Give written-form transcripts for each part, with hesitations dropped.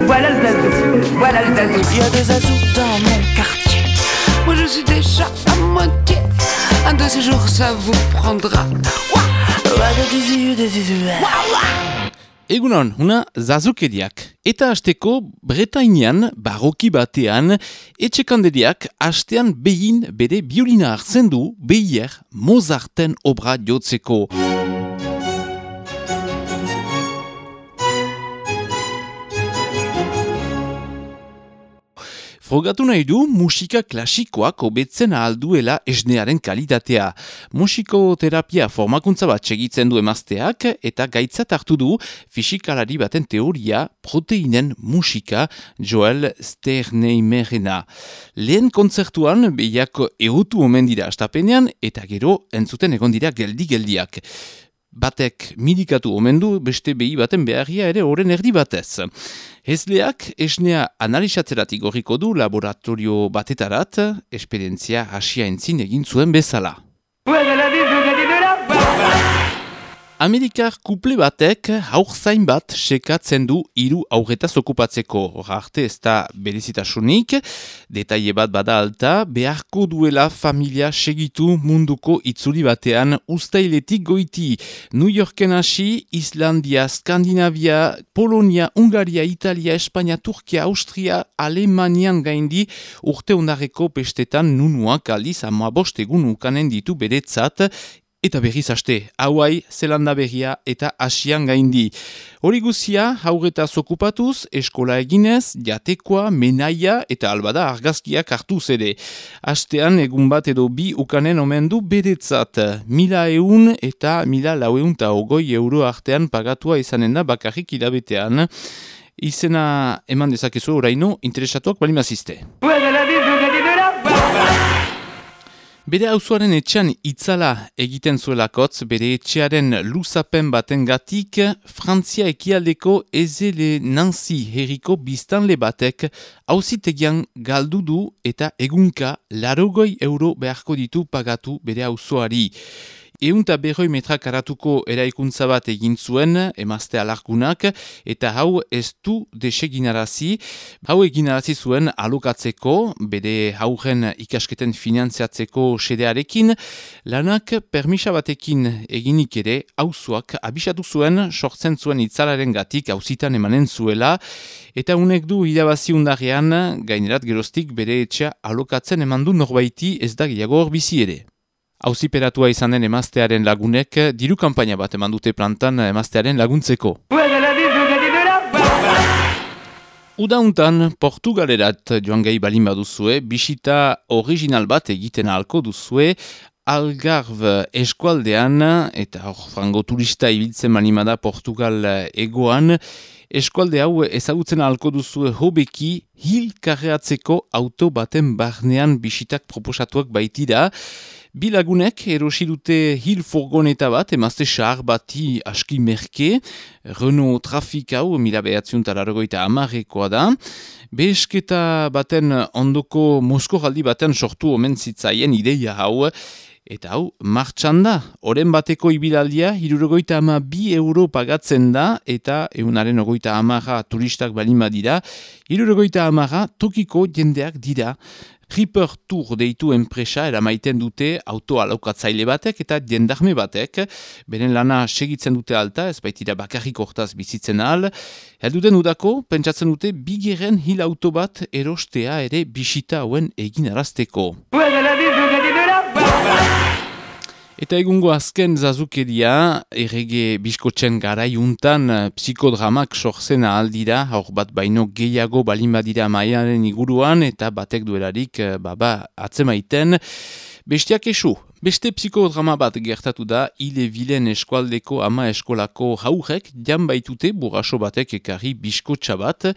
Voilà le zazou, voilà le zazou. Il y a des zazous dans mon quartier. Moi je suis déjà à moitié. Un de ces jours ça vous prendra. Egunon, una zazukeriak. Eta hasteko Bretainian, barroki batean, etxekanderiak hastean behin bere biolina hartzen du behier Mozarten obra jotzeko. Frogatu nahi du musika klasikoak hobetzen ahal duela esnearen kalitatea. Musikoterapia formakuntza bat segitzen du emazteak eta gaitzat hartu du fisikalari baten teoria proteinen musika Joel Sternheimerena. Lehen kontzertuan behiak egutu omen dira astapenean eta gero entzuten egon dira geldi-geldiak. Batek midikatu omen du beste behi baten beharria ere oren erdi batez. Hezleak esnea analizatzeratik gorriko du laboratorio batetarat, esperientzia hasia entzin egin zuen bezala. Amerikar kuple batek haurzain bat sekatzen du 3 haurretaz okupatzeko. Hor arte ez da berezitasunik, detaile bat bada alta, beharko duela familia segitu munduko itzuli batean uztailetik goiti. New Yorken hasi, Islandia, Skandinavia, Polonia, Hungaria, Italia, Espainia, Turkia, Austria, Alemanian gaindi urte ondarreko pestetan nunuak aldiz 15 egun ukanen ditu beretzat, eta berriz haste, Hawaii, Zelanda berria eta Asian gaindi. Hori guzia, haurretaz okupatuz, eskola eginez, jatekoa, menaia eta albada argazkiak hartuz ere. Hastean, egun bat edo 2 ukanen omen du beretzat. 1.100 eta 1.420 euro artean pagatua izanen da bakarrik hilabetean. Izena eman dezakezu oraino, interesatuak balimazizte. Bere auzoaren etxean itzala egiten zuelakotz, bere etxearen luzapen batengatik, Frantzia ekialdeko Ezele Nancy herriko biztanle batek auzitegian galdu du eta egunka 80 euro beharko ditu pagatu bere auzoari. 150 metra karatuko eraikuntza bat egin zuen, emazte alargunak, eta hau ez du deseginarazi. Hau eginarazi zuen alokatzeko, bere hauren ikasketen finantziatzeko xedearekin, lanak permisa batekin eginik ere, auzoak abisatu zuen, sortzen zuen itzalaren gatik auzitan emanen zuela, eta unek du irabazi undarrean, gainerat geroztik bere etxea alokatzen emandu norbaiti ez da gehiago hor bizi ere. Auziperatua izan den emaztearen lagunek diru kanpaina bat eman dute plantan emaztearen laguntzeko. Udauntan Portugalerat joan gai balin baduzue, bisita original bat egiten ahalko duzue, Algarve eskualdean, eta hor frango turista ibiltzen manimada Portugal egoan, eskualde hau ezagutzen ahalko duzue hobeki hil karreatzeko auto baten barnean bisitak proposatuak baitira. Bi lagunek erosi dute hil furgoneta bat, emazte xahar bati aski merke, Renault Trafik hau 1980 da. Behesketa baten ondoko moskoraldi baten sortu omen zitzaien ideia hau, eta hau martxan da. Oren bateko ibilaldia 72 euro pagatzen da, eta 120 turistak balin badira, 150 tokiko jendeak dira. Ripper Tour deitu enpresa eramaiten dute auto alaukatzaile batek eta jendarme batek. Beren lana segitzen dute alta, ez baitira bakarrik hortaz bizitzen ahal. Helduten udako, pentsatzen dute bigeren hil auto bat erostea ere bisita hauen egin arazteko. Eta egungo azken zazukeria, errege biskotzen garaiuntan psikodramak sortzen ahaldira, hor bat baino gehiago balin badira maiaren iguruan, eta batek duelarik atzemaiten. Bestiak esu, beste psikodrama bat gertatu da, Ille-Vilen eskualdeko ama eskolako haurek jan baitute burraso batek ekarri biskotxa bat,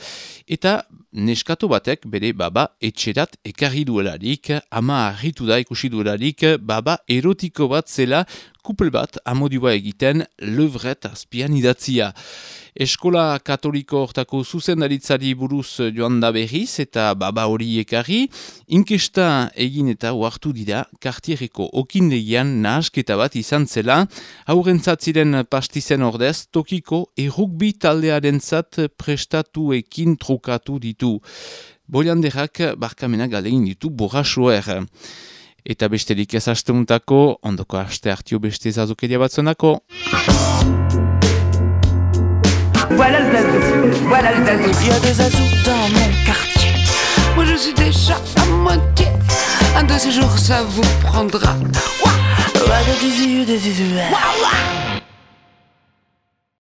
eta neskato batek bere baba etxerat ekarri duelarik, ama harritu da ikusi duelarik, baba erotiko bat zela, kupel bat amodioa egiten levret azpian idatzia. Eskola katoliko hortako zuzendaritzari buruz joan da berriz eta baba hori ekarri, inkesta egin eta ohartu dira kartierreko okindegian nahasketa bat izan zela, haurentzat ziren pastizen ordez, tokiko errugbi taldearentzat prestatuekin trukatu ditu. Boilanderak barkamenak galegin ditu borrasoer. Eta besterik ez asteuntako, ondoko aste hartio beste zazokeria batzonako. Voilà le zazou, voilà le zazou. Il y a des zazous dans mon quartier. Moi je suis déjà à moitié. Un de ces jours ça vous prendra. Ouah, ouah, des zizous, des zizous. Ouah, ouah.